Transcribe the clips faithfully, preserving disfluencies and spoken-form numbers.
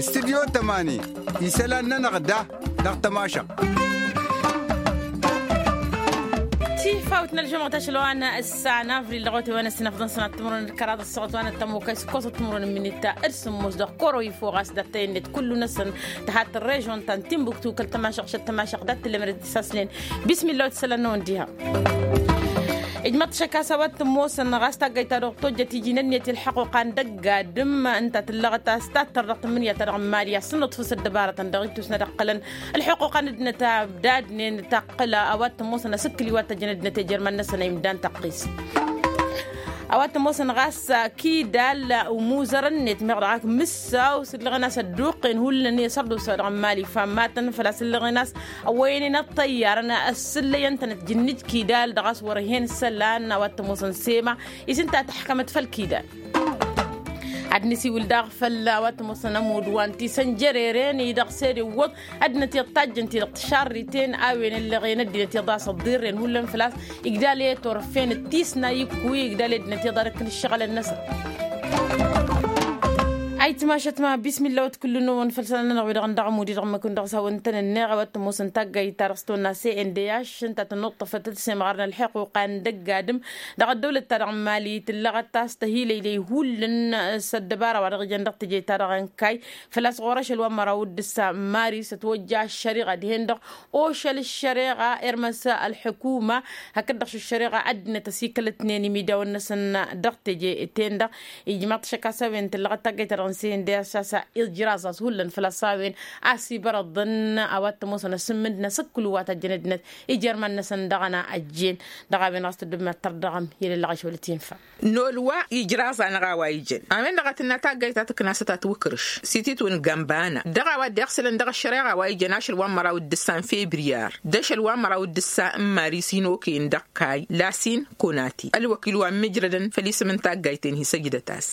Studyo tămani isălan-nănăɣ da dăɣ-tămašăɣt. Tifawt n-ălžămɣăt ašăl wa n-ăssan avril dăɣ-otay wa n-ăssinăfḍăn sănat timǝrwen d-kăraḍ ăssoɣăt wa n-ăttămokay s-ǝkkoẓăt timǝrwen n-imǝnit d-sǝmmos dăɣ-kăro ifo ɣas d-ăttăyăn-net kullu-năsăn tăhat n-režon ta n-timbuktu kăl-tămašăɣt šăt tămašăɣt dat-tǝllem red-isaslen. Bismillah wa t-isălan-năwăn diha. Ijmăḍ-t šăkk a-s a-wa t-ămoosăn ɣas taggayt ta dăɣ-tojjăt iji n-ănniyăt i-ălḥăquqa n-dăgg-adǝm ǝnta tǝllăɣăt a-s tattăr dăɣ-tǝmmǝnǝya-ta-dăɣ n-imali a ǝssǝnnăḍ făw s-ăddăbarătăn dăɣ-itusna d-ăqqălăn ălḥuquqa n-ăddinăt a ăbdadnen taqqǝl a-wa t-ămoosăn asǝkkǝl i-wa t-ăjjăn ăddinăt i-ijărman-năsăn a imdan tăqqis. A-wa t-ămoosăn ɣas kidal umuzăr-net meɣ dăɣ-ak mǝssaw s-ǝllăɣăn a-s ădduqqen hullan i-asărdusa dăɣ-n mali fammatăn făl-a-s ǝllăɣăn a-s ăwwăyănen ăṭṭăyyarăn ăssǝllăyăn-tănăt jǝnnǝj kidal dăɣ-a-s wăr hen isălan a-wa t-ămoosăn sema isǝnta tăḥkămăt făll-kidal. Ad-nǝsiwǝl daɣ făll-a-wa t-ămoosăn ămudd wa n-tisăn jăreren-i-dăɣ s-ed iwwăḍ ăddinăt iḍ tajjăn-t-i-dăɣ tǝšarriten a-wen ǝllăɣen ăddinăt iḍas ăḍḍirren hullan făl-a-s igdal i-turfen d-tisna ikkuy igdal i-ăddinăt iḍarăkăn ǝššăɣǝlăn-năsăn. Ayǝtmašăt ma bismillah wa t-kullu-năwăn făll-isălan-nănăɣ wi-dăɣ n-dăɣ-ămudd-i-dăɣ ǝmmǝk-wen dăɣ-s hawăn-tăn-ǝnneɣ a-wa t-ămoosăn taggayt-ta-dăɣ s-tonna s-e n d h ǝnta tănnuṭṭăfăt d-semɣar n-ălḥuquqa n-dăgg-adǝm dăɣ-ăddăwlăt-ta-dăɣ n-mali tǝllăɣăt a-s tăhilăylăy hullan s-ăddăbara wa dăɣ-ijăn dăɣ-teje-ta-dăɣ n-kayy făl-a-s ɣur-ašăl wa n-măraw d-ǝssa n-maris ătwăjja ăššăriɣa dihen-dăɣ ošăl ăššăriɣa irmăs ălḥukuma hakd-dăɣ šăššăriɣa ăddinăt ăsikălătnen imidawăn-năsăn dăɣ-teje-ten-dăɣ. Ijmaḍ-t šăkk a-s a-wen tǝllăɣăt taggayt-ta-dăɣ n-sendăy a-s a-s ijraẓ a-s hullan făl-a-s a-wen a-s ibărăḍăn a-wa t-ămoosăn asǝmmǝnd n-asǝkkǝlu wa tăjjăn ăddinăt ijărman-năsăn dăɣ-ăna ăjjeen. Dăɣ-a-wen ɣas tăddǝbnat tărdăɣăm i-lăllăɣ ašăwăl tinfa. N-olwa ijraẓ-anăɣ a-wa ijăn a-wen-dăɣ a tǝnna taggayt ta tǝknasăt a tiwǝkrǝš s-ititwǝn gambana dăɣ-a-wa dd-iɣsǝlăn dăɣ-ăššăreɣa wa ijăn ašăl wa n-măraw d-ǝssa n-febriyar d-ašăl wa n-măraw d-ǝssa n-maris inoken dăɣ-kayy lasin konati ălwăkil wa n-mǝjrădăn făll-isǝm n-taggayt-en hi-săjdăt-as.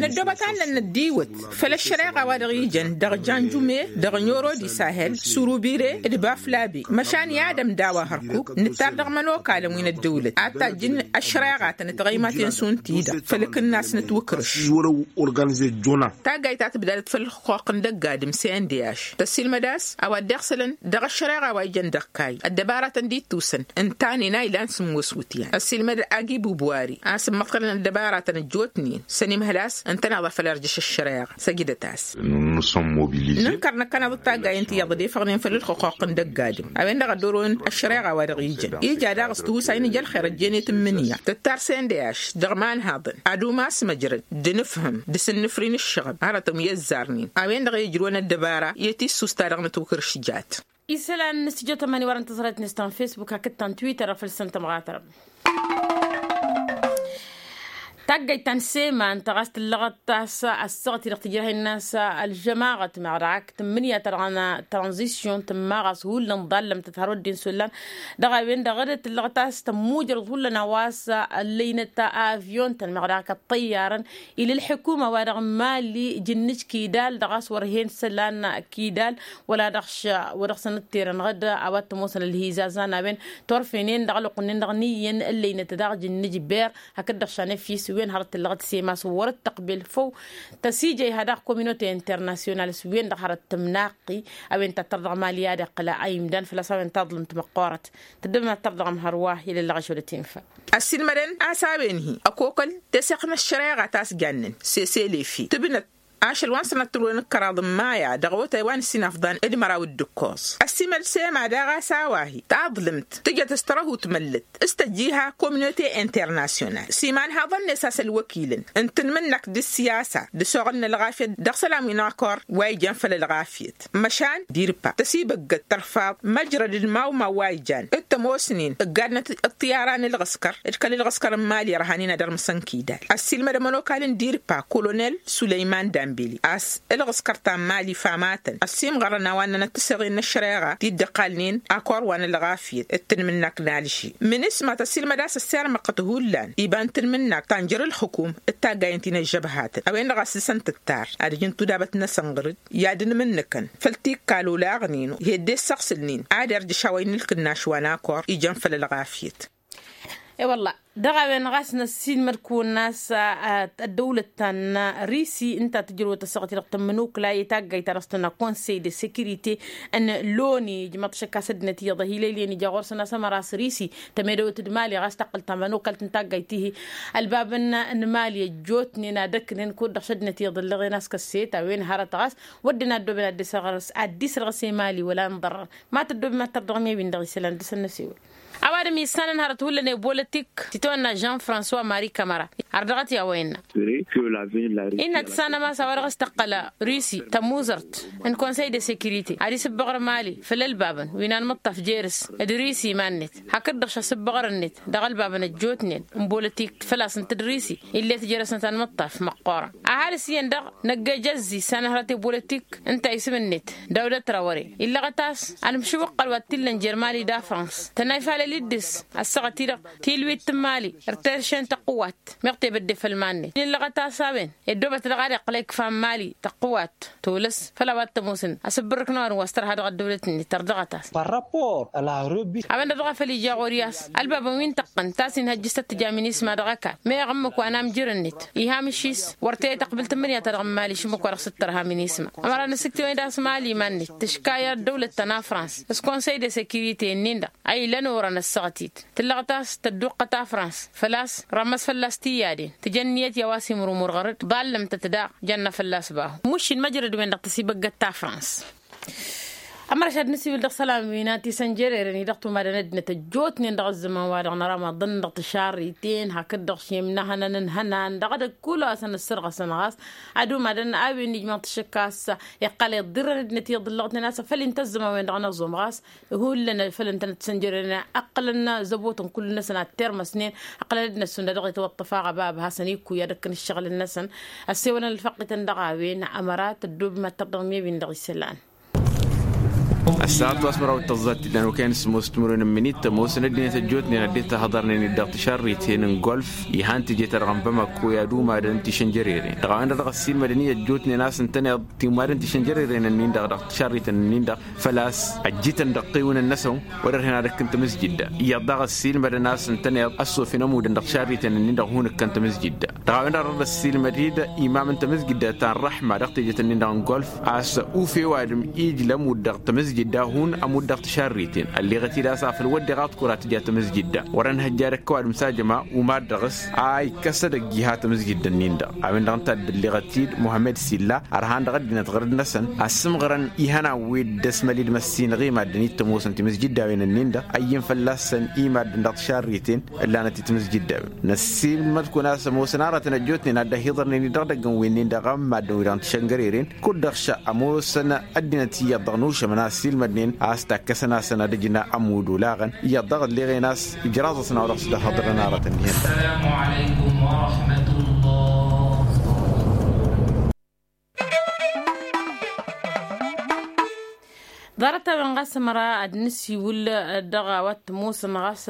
Năddoobăt a ǝllăn năddiwăt făll-ăššăreɣa wa dăɣ-ijăn dăɣ-janjume dăɣ-nyorodi sahel surubire d-baflabe măšan i-ad-ămda wa hărkuk nǝttar dăɣ-imănokalăn wi n-ăddăwlăt ad-tajjǝn ăššăreɣatăn d-tiɣăymaten šund-ti-dăɣ făll-akǝnnas n-ătwǝkrǝš. Taggayt ta tǝbdadăt făll-ăxxuqq n-dăgg-adǝm s-e n d h tăssiilmăd a-s a-wa dd-iɣsǝlăn dăɣ-ăššăreɣa wa ijăn dăɣ-kayy ăddăbaratăn dd-ittusăn ǝntanen a ilan sǝmmos wǝtyan ăssiilmăd agi bubwari a-s ǝmmăḍkălăn ăddăbaratăn ăjjootnen s-ănimhăl a-s ǝntăneḍ a făl irjăš ăššăreɣa săjdăt-as. Nǝnkăr năkkăneḍ d-taggayen ti iyyăḍ dd-efăɣnen făll-ălxuquq n-dăgg-adǝm a-wen-dăɣ a dd-orăwăn ăššăreɣa wa dăɣ-ijăn ija daɣ s-tiwǝsay n-ija ălxer ăjjeen i-tǝmmǝnǝya tǝttar s-e n d h dăɣ-imanhaḍăn ad-umas măjrăd d-inǝfhǝm d-asǝnnǝfri n-ǝššăɣǝb hărătăn wi ăzzarnen a-wen-dăɣ i-ǝjrǝwăn ăddăbara i-tissust-ta-dăɣ n-ătwǝkrǝš jat. Isălan n-studyo tămani wărăn tǝẓrăyăt n-istan facebook hakd ta n-twitter făll-săn tămɣatărăm. Taggayt ta n-sema ǝnta ɣas tǝllăɣăt a-s ăssaɣăt-i-dăɣ tǝjrăh-in n-a-s ălžămaɣăt meɣ dăɣ-ak tǝmmǝnǝya-ta-dăɣ n-tranzisyon tǝmma ɣas hullan ḍallăm tǝtharăw ăddin s-ullan dăɣ-a-wen-dăɣ d-tǝllăɣăt a-s tămmujrăḍ hullan a-wa s-ăllăynăt avyon-tăn meɣ dăɣ-ak ăṭṭăyyarăn ila ălḥukuma wa dăɣ-mali jǝnnǝj kidal dăɣ-a-s wăr hen isălan kidal wăla dăɣ-š wa dăɣ-săn ǝtterănăɣ-dd a-wa t-ămoosăn ălhizazan a-wen turfenen dăɣ-ălwăqq-nin-dăɣ n-iyyăn ǝllăynăt daɣ jǝnnǝj ber hakd-dăɣ šanăfis wen hărăt tǝllăɣăt sema s-wăr-dd tăqbel făw tăsijăy ha daɣ kominute internasyonal s-wen-dăɣ hărăt tǝmnaqi a-wen tattăr dăɣ-mali ad-iqqǝl a imdan făl-a-s a-wen taḍlǝmt măqqoorăt tăddăbnat tărdăɣăm hărwa i-lăllăɣ ašăl ătinfa. Ăssiilmădăn a-s a-wen-hi ăkokăl teseɣt n-ăššăreɣa ta s-jannen seselefi tǝbnăt ašăl wa n-sănăt tǝrwen d-kăraḍ n-maya dăɣ-awătay wa n-ǝssin afḍan d-măraw d-ǝkkoẓ. Ăssiimăl sema daɣ a-s a-wa-hi taḍlǝmt tǝjăt s-tărăhut măllăt s-tăjjiha kominute internasyonal s-imanhaḍăn-net a-s ălwăkilăn n-tanmǝnnakt d-ǝssiyasa d-ăsoɣăl n-ălɣafyăt dăɣ-isălan wi n-akor wa ijăn făll-ălɣafyăt măšan dirpa tăsibăggăt tărfaḍ măjrăd d-mawmaw wa ijan d-tămoosnen ǝggadnăt ǝṭṭiyara n-ǝlɣǝskăr d-kăl-ǝlɣǝskăr n-mali ărhanen ad-ărmǝsăn kidal. Ăssiilmăd ămănokal n-dirpa kolonel sulăyman dambeli a-s ǝlɣǝskăr ta n-mali famatăn ăssiimɣărăn a-wa ǝnnănăt tǝseɣen n-ăššăreɣa ti dd-ăqqalnen akor wa n-ălɣafyăt d-tanmǝnnakt n-alži. Mǝnǝsma tăssiilmăd a-s ăssirmăɣăt hullan iba n-tanmǝnnakt ta n-jer-ǝlxǝkum d-taggayen ti n-ăžžăbhatăn a-wen-dăɣ a-s dăɣ-săn tǝttar ad-ǝjǝn tudabăt-năsăn ɣǝr-dd i-ad-ǝnmǝnnǝkăn făll-tikkal olaɣnen hedde ǝssăɣsǝlnen ad-irjǝš a-wa innă ǝlkǝnnaš wa n-akor ijăn făll-ălɣafyăt. E-wălla dăɣ-a-wen ɣas năssiilmăd-kăwăn-as ăddăwlăt ta n-risi ǝnta tǝjrăwăt ăssaɣăt-i-dăɣ tămmănokla i-taggayt ta dăɣ-s tănna konsey de sekirite n-loni ijmăḍ šăkk a-s ăddinăt iyyăḍ ăhilăylăyăn ija ɣur-săn a-s ămăra a-s risi tămedăwăt d-mali ɣas taqqǝl ta mănokalt n-taggayt-ihi. Ălbab n-mali ăjjootnen ad-ǝknen kud-dăɣ šăddinăt iyyăḍ ǝllăɣen a-s kăsset a-wen hărăt ɣas wădden a ăddoben ad-dd-isrăɣăs ad-dd-isrăɣăs i-mali wăla ǝnḍărrăɣ. Ma tăddobem ad-tărdăɣ mi-ewin dăɣ-isălan dăr-săn n-asewăl. Ăwadǝm issanăn hărăt hullan i-bolătik tităwănna jean françois marie kamăra. Ar dăɣ-t i-a-wa innă innă tǝssanăm a-s a-wa dăɣ-s tăqqăl rusi tămuzărt n-konsăy de sekirite ad-isǝbbăɣăr mali făll-ălbabăn wi n-anmǝṭṭaf jer-s d-rusi iman-net hakd-dăɣ šasǝbbăɣăr-net dăɣ-ălbabăn ăjjootnen n-bolătik făl-a-s ǝnta d-rusi ill'-e tǝjrăsnăt anmǝṭṭaf măqqoorăn. Ăhalǝs iyyăn-dăɣ năgg-ejăzzi issanăn hărăt i-bolătik ǝnta isǝm-net dăwdăt rawăre illăɣăt a-s ălmǝšǝwăqqăl wa t-illăn jer-mali d-afrans tănna ifalăl-dd dăɣ-s ăssaɣăt-i-dăɣ tilwit n-mali ărteršen tăqqǝwat meɣ tebădde făll-iman-net illăɣăt a-s a-wen ed dăwbăt dăɣ-ad-iqqăl a ikfa n-mali tăqqǝwat tolăs făll-a-wa t-ămoosăn asǝbbărrǝk n-ăwadǝm wa s-tărha dăɣ-ăddăwlăt-net tărdăɣăt-as. A-wen-dăɣ dăɣ-a făl ija ɣur-i a-s ălbabăn wi n-tăqqăn ta s-inhăjjǝs tăt-tǝja minisma dăɣ-ăkall meɣ ǝmmǝk wa n-amjăr-net iha amǝššis wăr t-e-tăqbǝl tǝmmǝrya-ta-dăɣ n-mali šǝmmǝk wa dăɣ-s t-tărha minisma. Ămăra n-asǝktǝwăn-dd a-s mali iman-net tǝška i-ăddăwlăt ta n-afrans s-konsăy de sekirite-nin-dăɣ a ilăn orăn ăssaɣăt-dd tǝllăɣ-t a-s tădduqqăt afrans făl-a-s rămmăs fălla-s tiyyaden tǝjăn ǝnniyăt i-a-wa s-imrumur ɣăr-dd ḍallăm-tăt daɣ jănna fălla-s bahu. Muššin măjrăd-wen-dăɣ tăsibăggăt tafrans. Ămărăš ad-nǝsiwǝl dăɣ-isălan wi n-ad-tisănjăreren-i dăɣ-tumadăn ăddinăt ăjjootnen dăɣ-ăzzăman-wa-dăɣ năra maḍăn dăɣ-tišarriten hakd-dăɣ šemnăhănăn ǝnhănan dăɣ-edăgg kull wa săn ǝssărɣăsăn ɣas ad-umadăn a-wen ijmaḍ-t šăkk a-s iqqăl iḍḍirrăn ăddinăt iyyăḍ ǝllăɣătnen a-s făl-i n-tăzzăman-wen-dăɣ n-ăẓum ɣas hullan făl ǝntănăt tisănjăreren ăqqǝlăn zăbotăn kull-năsăn ad-termăsnen ăqqǝlăn ăddinăt šund a dăɣ-itwăṭṭăf aɣăbab hasăn-ikkuy ad-ǝkkǝn ǝššăɣǝl-năsăn. Ăssewălăn ălfăqqităn dăɣ-a-wen ămăra tăddoobem ad-tărdăɣ mi-ewin dăɣ-isălan. Ăssaɣăt wa s-măraw d-tăẓẓa t-illa n-okăyăn s-ămoos timǝrwen n-imǝnit ămoosăn ăddinăt ăjjootnen ad-dd-tahăḍărnen-dd dăɣ-tišarriten n-golf. Ihăn teje-ta-dăɣ n-bamako i-ad-umadăn tišănjăreren dăɣ-a-wen-dăɣ dăɣ-ăssiilmădăn i-ăjjootnen a-s ǝntăneḍ timadăn tišănjăreren-nin-dăɣ dăɣ-tišarriten-nin-dăɣ făl-a-s ăjjităn dăɣ-tiwǝn-năsăn. Wăr-ărhen ad-ǝkkǝn tamǝzjǝdda iyyăḍ daɣ ăssiilmădăn a-s ǝntăneḍ ăssofen ămudăn dăɣ-tišarriten-nin-dăɣ hun-ǝkkăn tamǝzjǝdda. Dăɣ-a-wen-dăɣ dăr-ăssiilmăd-dd imam n-tamǝzjǝdda ta n-răḥma dăɣ-tejet-nin-dăɣ n-golf a-s ufew adǝm ijlăm-ud dăɣ-tamǝzjǝdda hun ămudd dăɣ-tišarriten ălleɣăt-dd a-s afăl wădden aḍkur ad-tǝja tamǝzjǝdda. Wăr-ănhăjja ad-ăkkăw adǝm s-ajăma umad dăɣ-s a ikkăs edăgg iha tamǝzjǝdda-nin-dăɣ. A-wen-dăɣ ǝnta a dd-ălleɣăt-dd muhămmed silla ărhan dăɣ-ăddinăt ɣǝrǝd-năsăn asǝmɣărăn ihănan wi dd-ăsmăl-dd măssinăɣ i-maddǝn-i t-ămoosăn timǝzjǝddawen-nin-dăɣ a iyyǝn fălla-săn i-maddǝn dăɣ-tišarriten ǝllanăt i-timǝzjǝddawen. Năssiilmăd-kăwăn a-s ămoosăn aratăn ăjjootnen ad-dd-ăhiḍărnen-dd dăɣ-idăgg n-winnin-dăɣ n-maddǝn-wi-dăɣ n-tišăngărerin kud-dăɣ ša ămoosăn ăddinăt iyyăḍ dăɣ-nušămăn a ăssiilmădnen a-s takkăsăn-asăn ad-ǝjǝn ămudd olaɣăn iyyăḍ dăɣ-ălleɣen a-s ijraẓ-asăn a-wa dăɣ-s dd-ăhhăḍrăn aratăn dihen. Ḍarăt-a-wen ɣas ămăra ad-nǝsiwǝl dăɣ-a-wa t-ămoosăn ɣas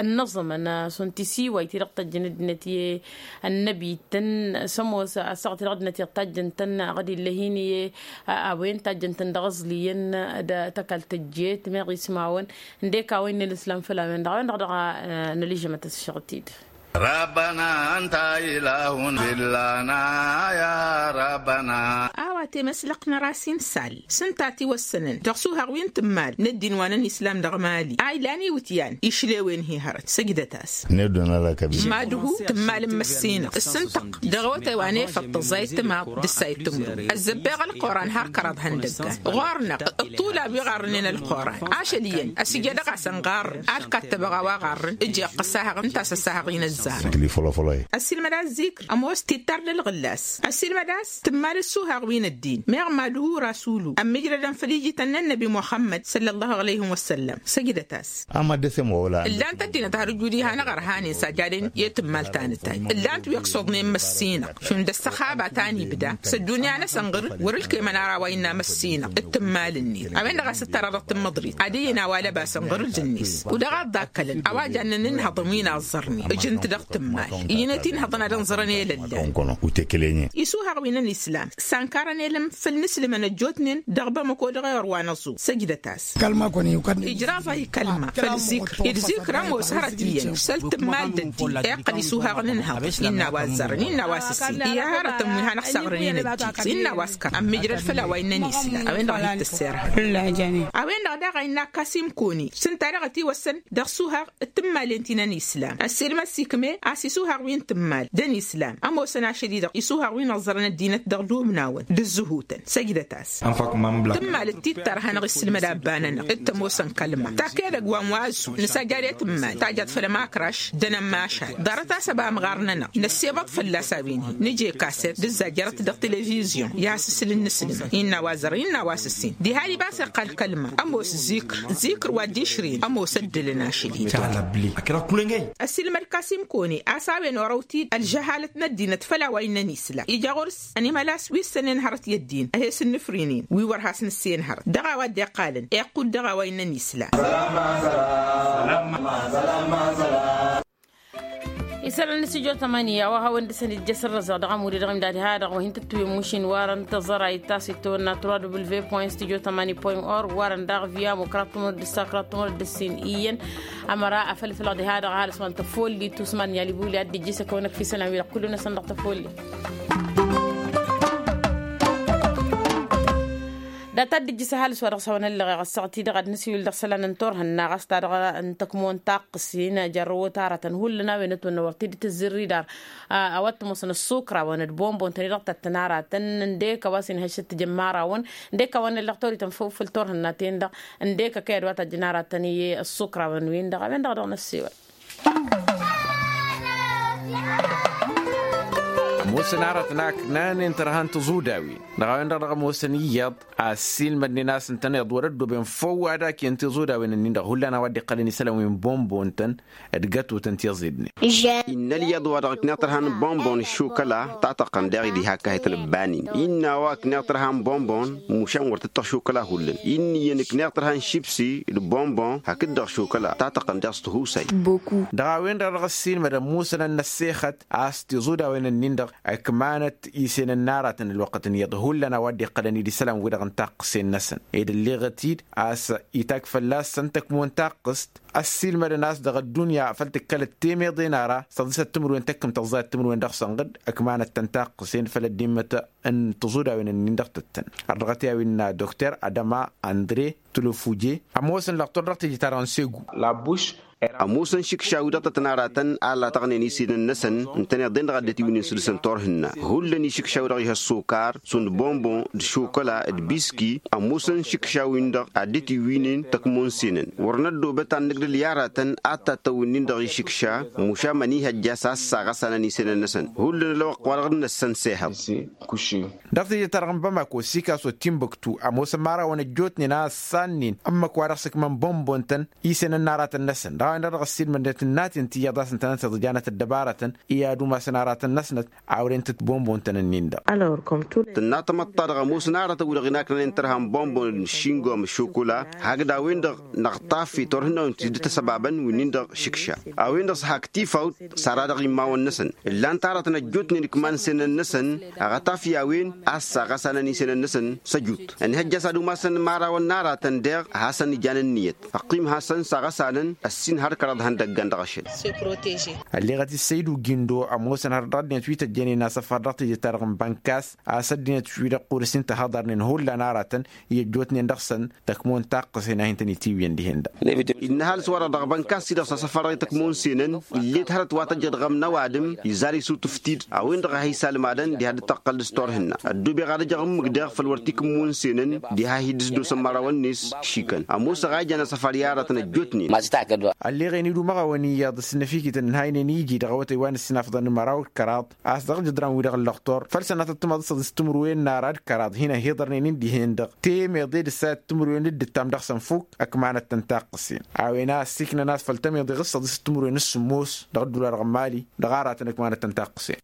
ănnăẓămăn šund tisiwayt-i-dăɣ tăjjăn ăddinăt i-ănnăbi-tăn s-ămoos ăssaɣăt-i-dăɣ ăddinăt iyyăḍ tajjăn-tăn ɣad illa hin-i a-wen tajjăn-tăn dăɣ-aẓliyăn d-tăkall tăjjet meɣ ismawăn ǝndek a-wa innă ălǝslam făll-a-wen-dăɣ a-wen-dăɣ dăɣ-năližămăt ăsšăɣǝl-t-dd. Rabbăna anta ilahun fillana ya rabbăna. A-wa temăslăqt n-ăras insal s-ǝnta a tiwăssănăn dăɣ-isuhaɣ wi n-tǝmmal n-ăddin wa n-ănislam dăɣ-mali a ilan iwǝtyan išlewen-hi hărăt săjdăt-as. N-e-dd-unălăkăb. Madhu tǝmmal n-măssinăɣ s-ǝntăɣ dăɣ-awătay wa n-efăḍ tăẓẓayt timaḍ d-ǝssayăt timǝrwen ăzzăbbeɣ ălquran har kăraḍ ihăndăggan ɣur-năɣ. Ǝṭṭulab wi ɣarrǝnen ălquran ašăl iyyăn ăsijădăɣ-asăn ɣarrǝn ad-kattăbăɣ a-wa ɣarrǝn ǝjjeɣ ăssahăɣ ǝnta a-s ăssahăɣ-in ăzzarăn. Ăssiilmăd a-ăzzikr ămoos tittar d-ălɣǝllas ăssiilmăd a-s tǝmmal ǝssuhaɣ wi n-ăddin meɣ madhu rasulu ămmijrădăn făll-ijităn n-ănnăbi muxămmăd săllăllahu aleyhim wăssăllăm. Săjdăt-as. Ǝllan-t ăddinăt har ǝjud iha n-aɣărhanen s-ajaden i-tǝmmal ta n-tayy ǝllan-t wi ăksuḍnen măssinăɣ šund ăssăxaba ta n-ibda s-ăddunya-năsăn ɣǝr-dd wăr-ǝlkemăn ara wa innă măssinăɣ d-tǝmmal-net. A-wen-dăɣ a-s ǝttăra dăɣ-tǝmmăḍrit ad-ǝyyǝn a-wa lăbasăn ɣǝr-dd-net. U-dăɣ a dd-akkălăn a-wa jannen ǝnhăḍăn wi n-aẓẓărnen ǝjǝn-t dăɣ-tǝmmal. Iyyăn i-tinhăḍăn ad-ǝnẓărăn i-lăllan. Isuhaɣ wi n-ănislam s-ankarăn. Elăm făll-nǝslǝmăn ăjjootnen dăɣ-bamăko dăɣ-eɣăr wa n-ăẓu săjdăt-as. Ijraẓ-ahi kălma făll-zikr ed zikr ămoos hărăt iyyăn săl tǝmmal d-ăddin iqqăl isuhaɣ n-ǝnhăḍ innă a-wa ăzzarăn innă a-wa s-ǝssin i-ad-hărătăn wi hanăɣ-saɣrăn i-năddin innă a-wa s-kăr ămmijrăd făll-a-wa innăn isla. A-wen-dăɣ a hi-t-ăssirhăɣ. A-wen-dăɣ daɣ a innă kasim koni s-ǝnta daɣ ătiwăssăn dăɣ-isuhaɣ d-tǝmmalen ti n-ănislam ăssiilmăd s-ikme a-s isuhaɣ wi n-tǝmmal d-ănislam ămoosăn ašăl-i-dăɣ isuhaɣ wi n-ăẓẓărăn ăddinăt dăɣ-dumnawăn d-ǝzzǝhutăn săjdăt-as. Tǝmmal d-tittăr a hanăɣ-isǝlmăd abba-nănăɣ d-tămoosăn kălma tak edăgg wa n-wa ăzzu nǝsajjad i-tǝmmal tajjat făll-ămakraš d-enămmašal ḍarăt-as ăba ămɣar-nănăɣ năssebăḍ fălla-s a-wen-hi nǝje kaset d-ǝzzajjărăt dăɣ-televizyon i-ad-sǝsǝl n-inǝsǝlmăn innă a-wa ăzzărăn innă a-wa s-ǝssin diha-di ba s-iqqal kălma ămoos zikr zikr wa dd-išrǝyăn ămoos ăddălăn ašăl-hi. Ăsilmăd kasim kone a-s a-wen orăw-t-dd ălžăhalăt n-ăddinăt făll-a-wa innăn isla ija ɣur-s ănimălas wi ǝssănen hărăt i-ăddin a he-sǝnnǝfrǝynen wi wăr has-nǝssen hărăt dăɣ-a-wa dd-iqqalăn iqqud dăɣ-a-wa innăn isla. Isălan n-studio tămani a-wa hawăn-dăɣ săn ija sărrăzăɣ dăɣ-amud-i dăɣ-imdad ha-dăɣ wa hin-tǝttǝwǝm mašin warăn tăẓăra ittas itawănna trois w point studio tămani point org warăn daɣ via mukra tumăr d-ǝssa kra tumăr d-ǝssin iyyăn. Ămăra afălfălăɣ diha-dăɣ ăhalǝs wa n-tăfollit usman n-yalibuli ad-dd-ijjǝs ăkăwăn-ăkf isălan-wi-dăɣ kullu-năsăn dăɣ-tăfollit. Dat-ad-dd-ijjǝs ăhalǝs wa dăɣ-s hawăn-ăllăɣeɣ ăssaɣt-i-dăɣ ad-nǝsiwǝl dăɣ-isălan n-turhǝnna ɣas ta dăɣ-n tăkmo n-taqqǝsin. Jarrăwăt aratăn hullan a-wen ătwănna wăr t-dd-tǝzzǝrri dar a-wa t-ămoosăn ăssukrawăn d-bonbon-tăn-i-dăɣ tăttăn aratăn ǝndek a-wa s-inhăššăt tijămmarawăn ǝndek a-wa n-ăllăɣ torităn făw făll-turhǝnna-ten-dăɣ ǝndek ăkăyăd wa tăjjăn aratăn i-ăssukrawăn-win-dăɣ a-wen-dăɣ dăɣ-năssiwăl. Ămoosăn aratăn a ǝknanen tărha n-tiẓudawin dăɣ-a-wen-dăɣ dăɣ-ămoosăn iyyăḍ a ăssiilmădnen a-s ǝntăneḍ wăr-ăddooben făw ad-akǝyăn tiẓudawin-nin-dăɣ hullan a-wa dd-iqqălăn isălan wi n-bonbon-tăn d-gătutăn tiẓidnen. Innă ălyaḍ wa dăɣ-ǝkneɣ tărha n-bonbon d-šukăla tatăqqăn daɣ-i diha ăkahităn ǝbbanin innă a-wa ǝkneɣ tărha n-bonbon mušan wăr tǝttăɣ šukăla hullan. Innă iyyăn ǝkneɣ tărha n-šibsi d-bonbon hakd-dăɣ šukăla tatăqqăn daɣ s-tihusay. Dăɣ-a-wen-dăɣ dăɣ-ăssiilmădăn musănăn n-ăssexăt a-s tiẓudawen-ǝnnin-dăɣ ǝkmanăt isenen n-aratăn ălwăqqăt n-iyyăḍ hullan a-wa dd-iqqălăn-dd isălan-wi-dăɣ n-taqqǝsen-năsăn ed ălleɣăt-dd a-s itag fălla-săn tăkmo n-taqqǝst. Ăssiilmădăn a-s dăɣ-ăddunya făl tǝkkălăt temeḍe n-ara s-tăḍisăt timǝrwen tăkkǝmt ăẓẓayăt timǝrwen dăɣ-sănɣǝd ǝkmanăt-tăn taqqǝsen făll-ăddimmăt n-tiẓudawen-ǝnnin-dăɣ tăttăn. Ărdăɣăt i-a-wen dokter adăma andre tulăfuje ămoosăn lăqtor dăɣ-teje-ta-dăɣ n-segu. Ămoosăn šikša-wi-dăɣ tăt-tăn aratăn a latăɣnen isenăn-năsăn ǝntăneḍ-en-dăɣ a dd-ătiwǝynen săr-dăɣ s-ǝntăr-hǝnna hullan išikša-wi-dăɣ ih' ăssokar šund bonbon d-šokăla d-biski. Ămoosăn šikša-win-dăɣ a dd-ătiwǝynen tăkmo n-senăn wăr năddoobăt ad-nǝgdǝl i-aratăn ad-tattăwǝnnin dăɣ-išikša mušam ănihăjja s-ad-saɣăsanăn isenăn-năsăn hullan ălwăqq-wa-dăɣ d-năssăn s-ehăḍ. Dăɣ-teje-ta-dăɣ n-bamako sikas wa timbuktu ămoosăn imărawăn ăjjootnen a ăssannen ǝmmǝk wa dăɣ-s ǝkmăn bonbon-tăn isănăn n-aratăn-năsăn dăɣ-a-wen-dăɣ dăɣ-ăssiilmădnet n-inaten tiyyăḍ a-s ǝntănăt iḍǝjanăt ăddăbarătăn i-ad-umasăn aratăn-năsnăt. A wăren tǝtbonbon-tăn-ǝnnin-dăɣ. Tǝnna tamăḍt-ta-dăɣ ămoosăn aratăn-wi-dăɣ inaknănen tărha n-bonbon d-šingom d-šukula hakd a-wen-dăɣ năɣtafi turhǝnnawen ti dd-tăsăbabăn wi-nin-dăɣ šikša. A-wen-dăɣ s-hak tifawt s-ara dăɣ-immawăn-năsăn ǝllan-t aratăn ăjjootnen ǝkman senăn-năsăn. Aɣătaf i-a-wen a ăssaɣăsanăn isenăn-năsăn s-ăjut ănihăjja s-ad-umasăn imărawăn n-aratăn deɣ a hasăn-ijan ǝnniyăt. Ăqqim hasăn-saɣăsanăn ăssin har kăraḍ ihăndăggan dăɣ-ašăl. Ălleɣăt-i săydu gindo ămoosăn har dăɣ-ăddinăt wi tăjjănen asăfar dăɣ-teje-ta-dăɣ n-bănkas a-s ăddinăt-wi-dăɣ ɣur-s intăhăḍărnen hullan aratăn i-ăjjootnen dăɣ-săn tăkmo n-taqqǝsen a hin-tăn-itiwǝyăn dihen-dăɣ. Innă ăhalǝs-wa-dăɣ dăɣ-bănkas-i-dăɣ s-asăfar dăɣ-i tăkmo n-senăn illet hărăt wa tăjjăḍ ɣăm n-ăwadǝm izar isutǝf-t-dd a-wen-dăɣ a hi-salmadăn diha dd-tăqqăl dăɣ-s turhǝnna. Ăddoobeɣ ad-ăjăɣ ǝmmǝk daɣ făll-wăr t-ikǝmmun senăn diha hi-dd-ǝsdosăn imărawăn-net. Šikan ămoosăɣ a ijan asăfar i-aratăn ăjjootnen. Ălleɣen-dd umăɣawăn iyyăḍ s-năfikităn ǝnhaynen iji dăɣ-awătay wa n-ǝssinafḍăn n-măraw d-kăraḍ a-s dăɣ-jădran-wi-dăɣ n-lăqtor făll-sănatăt timăḍ s-tǝmrǝwen n-ara d-kăraḍ hin-ăhiḍărnen-in dihen-dăɣ temeḍe d-ǝssayăt timrǝwen d-ǝttam dăɣ-săn fuk. Ăkmanăt-tăn taqqǝsen a-wen a ăssiiknăn a-s făll-temeḍe ɣǝssăḍ s-timrǝwen s-sǝmmos dăɣ-ăddula dăɣ-mali dăɣ-aratăn ăkmanăt-tăn taqqǝsen.